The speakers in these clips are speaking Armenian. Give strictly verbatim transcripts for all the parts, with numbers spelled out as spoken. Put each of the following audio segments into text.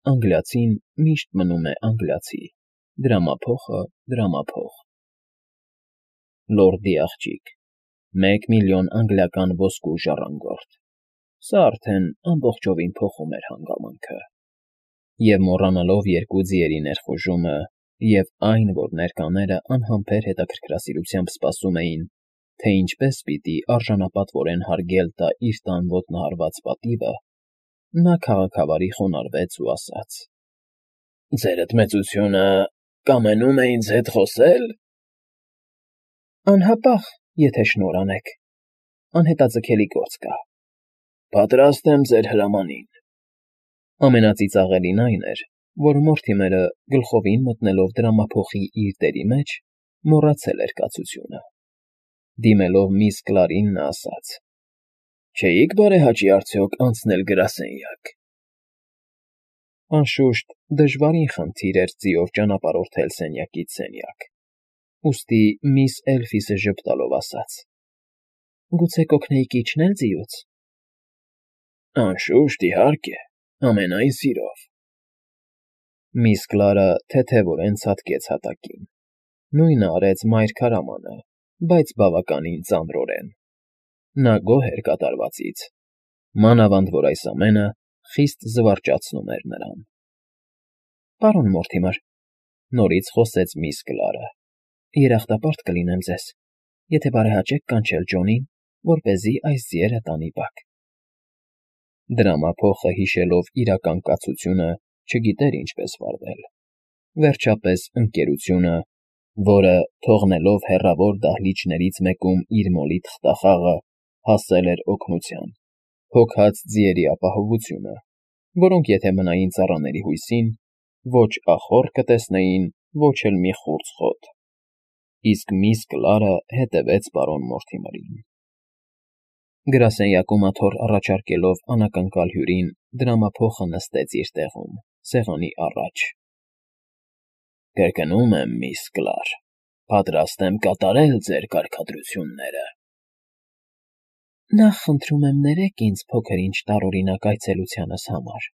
անգլիացին միշտ մնում է անգլիացի, դրամափոխը՝ դրամափող։ Լորդի աղջիկ, մեկ միլիոն անգլիական ոսկու ժառանգորդ, սա արդեն ամբողջովին փոխում էր հանգամանքը։ Եվ մոռանալով երկու ձիերի ներխուժումը և այն, որ ներկաները անհամբեր հետաքրքրասիրությամբ սպասում էին, թե ինչպես պիտի արժանապատվորեն հարգել տա իր տան ոտնահարված պատիվը, նա քաղաքավարի խոնարհվեց ու ասաց. «Ձերդ մեծությունը կամենում է ինձ հետ խոսե՞լ»։ «Անհապաղ, եթե շնորհ անեք, անհետաձգելի գործ կա»։ «Պատրաստ եմ ձեր հրամանին»։ Ամենածիծաղելին այն էր, որ Մորթիմերը, գլխովին մտնելով դրամափոխի իր դերի մեջ, մոռացել էր կացությունը։ Դիմելով միս Կլարին նա ասաց. «Չէի՞ք բարեհաճի արդյոք անցնել գրասենյակ»։ Անշուշտ, դժվարին խնդիր էր ձիով ճանապարհորդել սենյակից սենյակ, ուստի միս Էլֆիսը ժպտալով ասաց. «Գուցե կօգնեիք իջնել ձիուց»։ «Անշուշտ, իհարկե, ամենայն սիրով»։ Միս Կլարը թեթևորեն ցատկեց հատակին, նույնը արեց մայր քարամանը, բայց բավականին ծանրորեն։ Նա գոհ էր կատարվածից, մանավանդ որ այս ամենը խիստ զվարճացնում էր նրան։ «Պարոն Մորթիմեր,֊ նորից խոսեց միս Կլարը,֊ երախտապարտ կլինեմ ձեզ, եթե բարեհաճեք կանչել Ջոնին, որպեսզի այս ձիերը տանի բակ»։ Դրամափոխը, հիշելով իրական կացությունը, չգիտեր ինչպես վարվել։ Վերջապես ընկերությունը, որը, թողնելով հեռավոր դահլիճներից մեկում իր մոլի թղթախաղը, հասել էր օգնության, հոգաց ձիերի ապահովությունը, որոնք եթե մնային ծառաների հույսին, ոչ ախոռ կտեսնեին, ոչ էլ մի խուրձ խոտ։ Իսկ միս Կլարը հետևեց պարոն Մորթիմերին։ Գրասենյակում աթոռ առաջարկելով անակնկալ հյուրին, դրամափոխը նստեց իր տեղում, սեղանի առաջ։ «Կրկնում եմ, միս Կլար, պատրաստ եմ կատարել ձեր կարգադրությունները»։ «Նախ խնդրում եմ ներեք ինձ փոքր֊ինչ տարօրինակ այցելությանս համար»։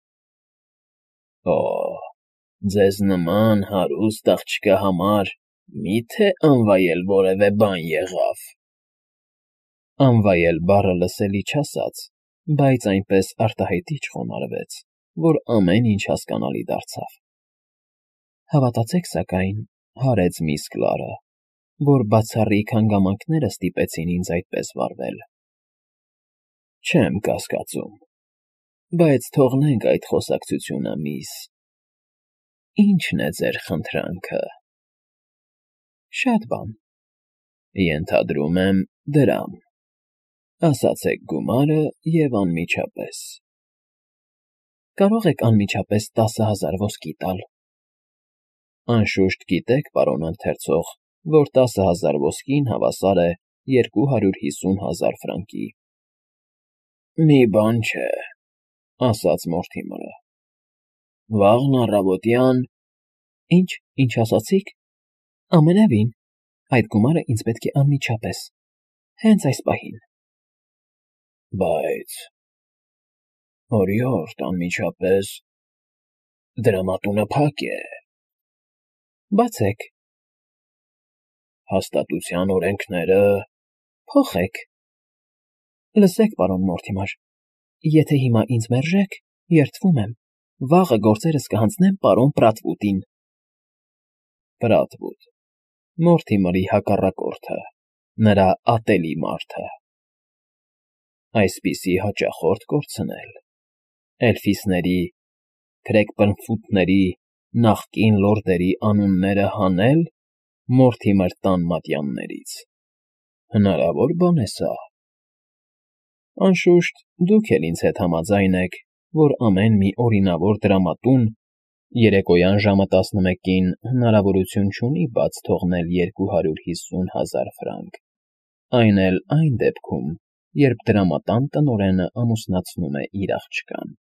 «Օ՜, ձեզ նման հարուստ աղջկա համար մի՞թե անվայել որևէ բան եղավ»։ Անվայել բառը լսելի չասաց, բայց այնպես արտահայտիչ խոնարհվեց, որ ամեն ինչ հասկանալի դարձավ։ «Հավատացեք սակայն, ֊ հարեց միս Կլարը, ֊ որ բացառիկ հանգամանքները ստիպեցին ինձ այդպես վարվել»։ «Չեմ կասկածում, բայց թողնենք այդ խոսակցությունը, միս… Ի՞նչն է ձեր խնդրանքը»։ «Շատ բան»։ «Ենթադրում եմ, դրամ։ Ասացեք գումարը և անմիջապես»։ «Կարող եք անմիջապես տասը հազար ոսկի տալ»։ «Անշուշտ գիտեք, պարոն ընթերցող, որ տասը հազար ոսկին հավասար է երկու հարյուր հիսուն հազար ֆրանկի»։ «Մի բան չէ», ասաց Մորթիմերը։ «Վաղն առավոտյան…» «Ի՞նչ, ինչ ասացիք։ Ամենևին, այդ գումարը ինձ պետք է անմիջապես, հենց այս պահին»։ «Բայց… օրիորդ, անմիջապես… դրամատունը փակ է»։ «Բացեք»։ «Հաստատության օրենքները…» «Փոխեք»։ «Լսեք, պարոն Մորթիմեր, եթե հիմա ինձ մերժեք, երդվում եմ, վաղը գործերս կհանձնեմ պարոն Պրատվուտին»։ Պրատվուտ… Մորթիմերի հակառակորդը, նրա ատելի մարդը… Այսպիսի հաճախորդ կորցնել… Էլֆիսների, Քրեքբըրնֆութների, նախկին լորդերի անունները հանել Մորթիմեր տան մատյաններից… Հնարավոր բան է սա։ Անշուշտ, դուք էլ ինձ հետ համաձայն եք, որ ամեն մի օրինավոր դրամատուն երեկոյան ժամը տասնմեկին հնարավորություն չունի բաց թողնել երկու հարյուր հիսուն հազար ֆրանկ, այն էլ այն դեպքում, երբ դրամատան տնօրենը ամուսնացնում է իր աղջկան։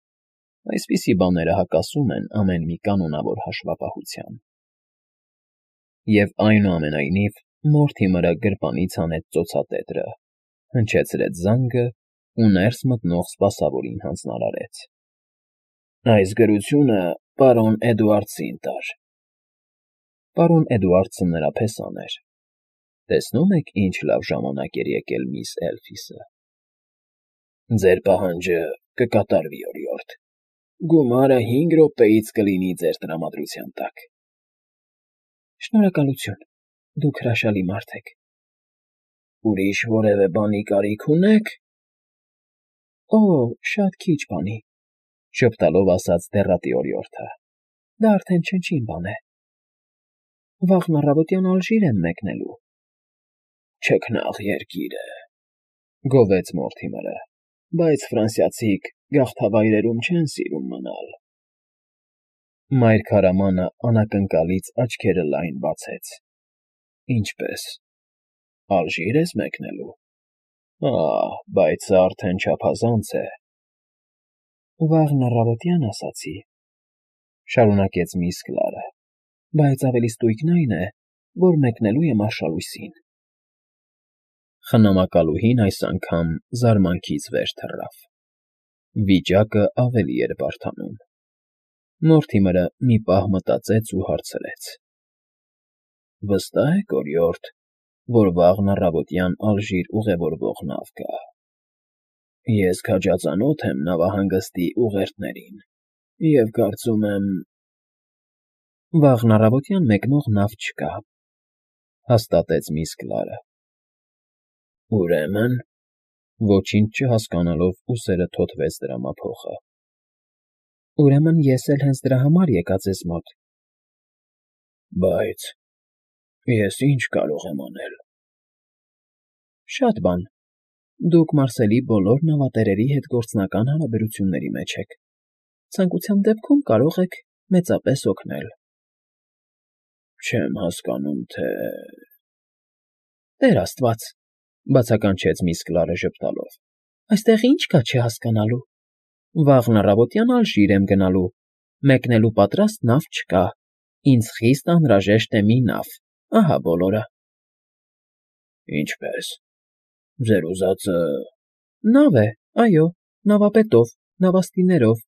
Այսպիսի բաները հակասում են ամեն մի կանոնավոր հաշվապահության։ Եվ այնուամենայնիվ Մորթիմերը գրպանից հանեց ծոցատետրը, հնչեցրեց զանգը ու ներս մտնող սպասավորին հանձնարարեց։ «Այս գրությունը Պարոն Էդուարդսին տար։ Պարոն Էդուարդսը նրա փեսան էր։ Տեսնում եք, ինչ լավ ժամանակ էր եկել միս Էլֆիսը։ Ձեր պահանջը կկատարվի, օրիորդ։ Գումարը հինգ րոպեից կլինի ձեր տրամադրության տակ։ Շնորհակալություն, դուք հրաշալի մարդ եք։ Ուրիշ որևէ բանի կարիք ունե՞ք։ Օ, շատ քիչ բանի, շփտալով ասաց դեռատի օրիորդը։ Դա արդեն չնչին բան է։ Վաղն առավոտյան Ալժիր եմ մեկնելու։ Չքնաղ երկիր է, գովեց Մորթիմերը, բայց ֆրանսիացիք գաղթավայրերում չեն սիրում մնալ։ Մայր քարամանը անակնկալից աչքերը լայն բացեց։ Ինչպե՞ս։ Ալժիր ես մեկնելու։ Ահ, բայց սա արդեն չափազանց է։ Վաղն առավոտյան ասացի, շարունակեց միս Կլարը, բայց ավելի ստույգն այն է, որ մեկնելու եմ արշալույսին։ Խնամակալուհին այս անգամ զարմանքից վեր թռավ։ Վիճակը ավելի էր բարդանում։ Մորթիմերը մի պահ մտածեց ու հարցրեց. Վստահ եք, օրիորդ, որ վաղն առավոտյան Ալժիր ուղևորվող նավ կա։ Ես քաջածանոթ եմ նավահանգստի ուղերձներին և կարծում եմ… Վաղն առավոտյան մեկնող նավ չկա, հաստատեց միս Կլարը։ Ուրեմն… Ոչինչ չհասկանալով ուսերը թոթվեց դրամափոխը։ Ուրեմն ես էլ հենց դրա համար եկա ձեզ մոտ։ Բայց… ես ինչ կարող եմ անել։ Շատ բան։ Դուք Մարսելի բոլոր նավատերերի հետ գործնական հարաբերությունների մեջ եք։ Ցանկության դեպքում կարող եք մեծապես օգնել։ Չեմ հասկանում, թե… Տեր աստված, բացականչեց միս Կլարը ժպտալով, այստեղ ինչ կա չհասկանալու։ Վաղն առավոտյան Ալժիր եմ գնալու, մեկնելու պատրաստ նավ չկա, ինձ խիստ անհրաժեշտ է մի նավ, ահա բոլորը։ Ինչպե՞ս։ Ձեր ուզածը… Նավ է, այո, նավապետով, նավաստիներով,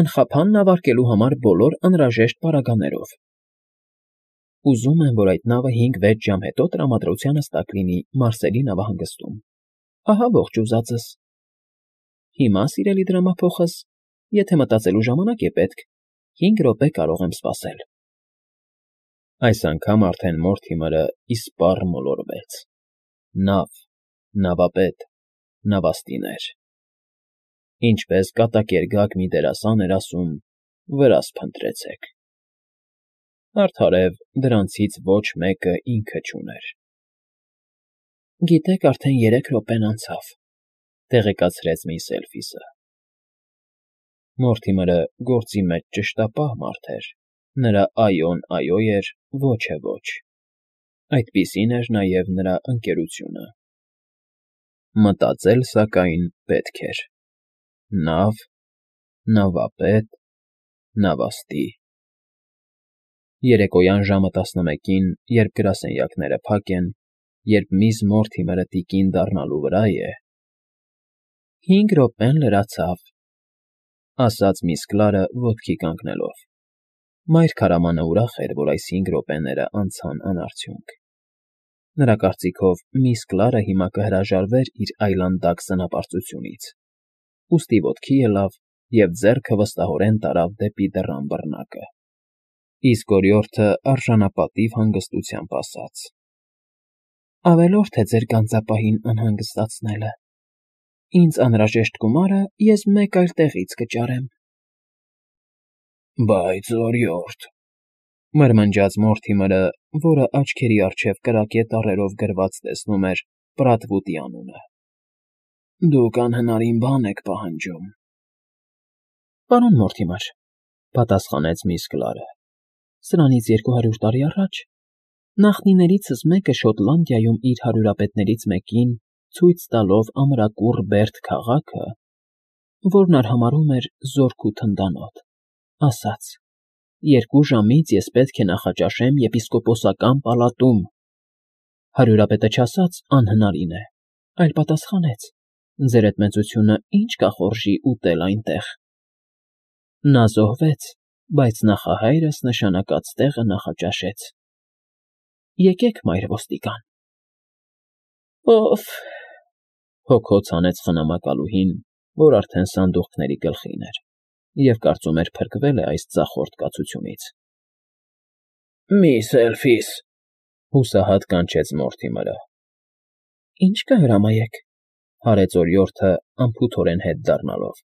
անխափան նավարկելու համար բոլոր անհրաժեշտ պարագաներով։ Ուզում եմ, որ այդ նավը հինգ֊վեց ժամ հետո տրամադրությանս տակ լինի Մարսելի նավահանգստում։ Ահա ողջ ուզածս։ Հիմա, սիրելի դրամափոխս, եթե մտածելու ժամանակ է պետք, հինգ րոպե կարող եմ սպասել։ Այս անգամ արդեն Մորթիմերը իսպառ մոլորվեց։ Նավ, նավապետ, նավաստիներ… Ինչպես կատակերգակ մի դերասան էր ասում, վրաս փնտրեցեք։ Արդարև, դրանցից ոչ մեկը ինքը չուներ։ Գիտեք, արդեն երեք րոպեն անցավ, տեղեկացրեց միս Էլֆիսը։ Մորթիմերը գործի մեջ ճշտապահ մարդ էր, նրա այոն այո էր, ոչը ոչ։ Այդպիսին էր նաև նրա ընկերությունը։ Մտածել, սակայն, պետք էր։ Նավ, նավապետ, նավաստի… Երեկոյան ժամը տասնմեկին, երբ գրասենյակները փակ են, երբ միս Մորթիմերը տիկին դառնալու վրա է… Հինգ րոպեն լրացավ, ասաց միս Կլարը ոտքի կանգնելով։ Մայր քարամանը ուրախ էր, որ այս հինգ րոպեները անցան անարդյունք։ Նրա կարծիքով միս Կլարը հիմա կհրաժարվեր իր այլանդակ սնապարծությունից, ուստի ոտքի ելավ և ձեռքը վստահորեն տարավ դեպի դռան բռնակը, իսկ օրիորդը արժանապատիվ հանգստությամբ ասաց. Ավելորդ է ձեր գանձապահին անհանգստացնելը։ Ինձ անհրաժեշտ գումարը ես մեկ այլ տեղից կճարեմ։ Բայց, օրիորդ… մրմնջաց Մորթիմերը, որը աչքերի առջև կրակե տառերով գրված տեսնում էր Պրատվուտի անունը։ Դուք անհնարին բան եք պահանջում։ Պարոն Մորթիմեր, պատասխանեց միս Կլարը, սրանից երկու հարյուր տարի առաջ նախնիներիցս մեկը Շոտլանդիայում իր հարյուրապետներից մեկին ցույց տալով ամրակուռ Բերդ քաղաքը, որն արհամարհում էր զորք ու թնդանոթ, ասաց. «Երկու ժամից ես պետք է նախաճաշեմ եպիսկոպոսական պալատում»։ Հարյուրապետը չասաց անհնարին է, այլ պատասխանեց. «Ձեր էդ մեծությունը ինչ կախորժի ուտել այնտեղ»։ Նա զոհվեց բայց նախահայրս նշանակած տեղը նախաճաշեց։ Եկեք, մայր ոստիկան։ Ով… Հոգոց հանեց խնամակալուհին, որ արդեն սանդուղքների գլխին էր, և կարծում էր փրկվել է այս ձախորդ կացությունից։ Միս Էլֆիս,֊ հուսահատ կանչեց Մորթիմըրը։ Ինչ կհրամայեք,֊ հարեց օրիորդը անփութորեն հետ դառնալով։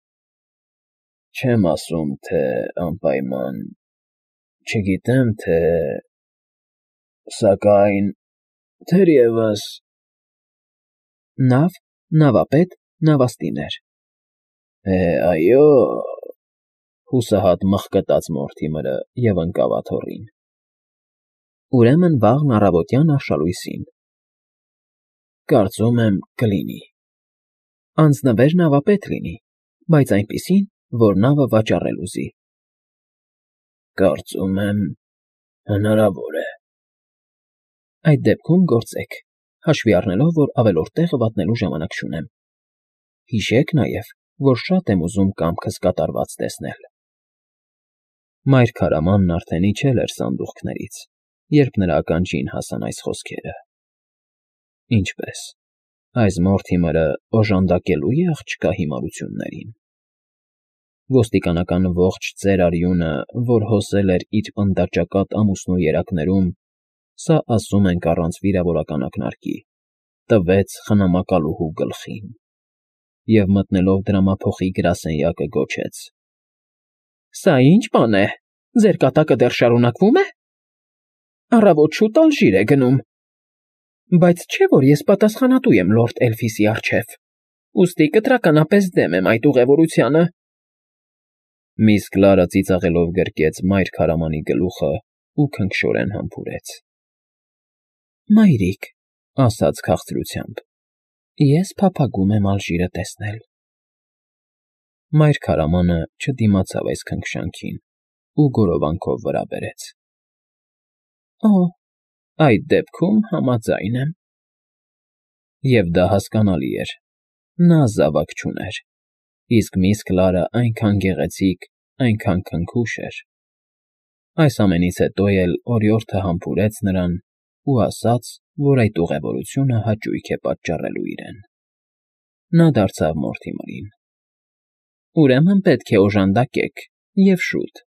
Չեմ ասում, թե անպայման… Չգիտեմ, թե… Սակայն… թերևս… Նավ, նավապետ, նավաստիներ… Է, այո… Հուսահատ մխկտաց Մորթիմըրը և ընկավ աթոռին։ Ուրեմն վաղն առավոտյան արշալույսին… Կարծում եմ, կլինի… Անձնվեր նավապետ լինի, բայց այնպիսին, որ նավը վաճառել ուզի… Կարծում եմ, հնարավոր է… Այդ դեպքում գործեք, հաշվի առնելով, որ ավելորդ տեղը վատնելու ժամանակ չունեմ… Հիշեք նաև, որ շատ եմ ուզում կամքս կատարված տեսնել… Մայրքարամանն արդեն իջել էր սանդուղքներից, երբ նրա ականջին հասան այս խոսքերը… Ինչպե՞ս, այս Մորթիմըրը օժանդակելո՞ւ է աղջկա հիմարություններին… Ոստիկանական ողջ ծեր արյունը, որ հոսել էր իր պնդաճակատ ամուսնու երակներում, սա ասում ենք առանց վիրավորական ակնարկի, տվեց խնամակալուհու գլխին… Եվ մտնելով դրամափոխի գրասենյակը գոչեց. Սա ի՞նչ բան է, ձեր կատակը դեռ շարունակվո՞ւմ է… Առավոտ շուտ ալժիր է գնում… Բայց չէ՞ որ ես պատասխանատու եմ լորդ Էլֆիսի առջև, ուստի կտրականապես դեմ եմ այդ ուղևորությանը… Միս Կլարը ծիծաղելով գրկեց մայրքարամանի գլուխն ու քնքշորեն համբուրեց։ Մայրիկ,֊ ասաց քաղցրությամբ,֊ ես փափագում եմ ալժիրը տեսնել… Մայրքարամանը չդիմացավ այս քնքշանքին ու գորովանքով վրա բերեց. Օ՜, այդ դեպքում համաձայն եմ… Եվ դա հասկանալի էր, նա զավակ չուներ, իսկ միս Կլարը այնքան գեղեցիկ, այնքան քնքուշ էր… Այս ամենից հետո էլ օրիորդը համբուրեց նրան ու ասաց, որ այդ ուղևորությունը հաճույք է պատճառելու իրեն… Նա դարձավ Մորթիմըրին. Ուրեմն պետք է օժանդակեք, և շուտ…